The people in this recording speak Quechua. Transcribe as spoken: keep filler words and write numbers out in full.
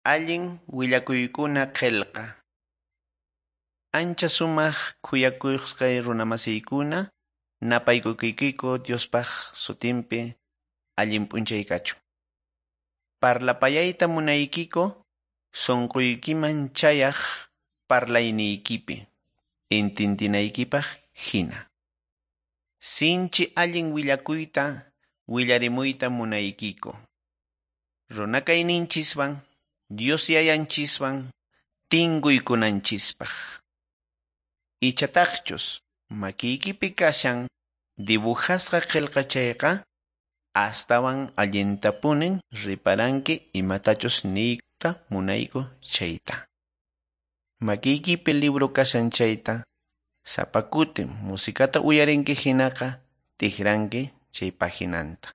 Allin willakuykuna qillqa. Ancha sumaq khuyakusqay runamasiykuna, napaykuykiku Diospaq sutinpi allin p'unchay kachun. Parlapayayta munaykiku sunquykiman chayaq parlayniykipi intintinaykipaq hina. Sinchi allin willakuyta willarimuyta munaykiku. Runakayninchiswan Dios yayanchiswan tinkuykunanchispaq. Ichataqchus makiykipi kashan dibujasqa qillqa chayqa astawan allintapunin riparanki imatachus niyta munayku chayta. Makiykipi libro kashan chayta sapa kuti musikata uyarinki hinaqa tikranki chay paginanta.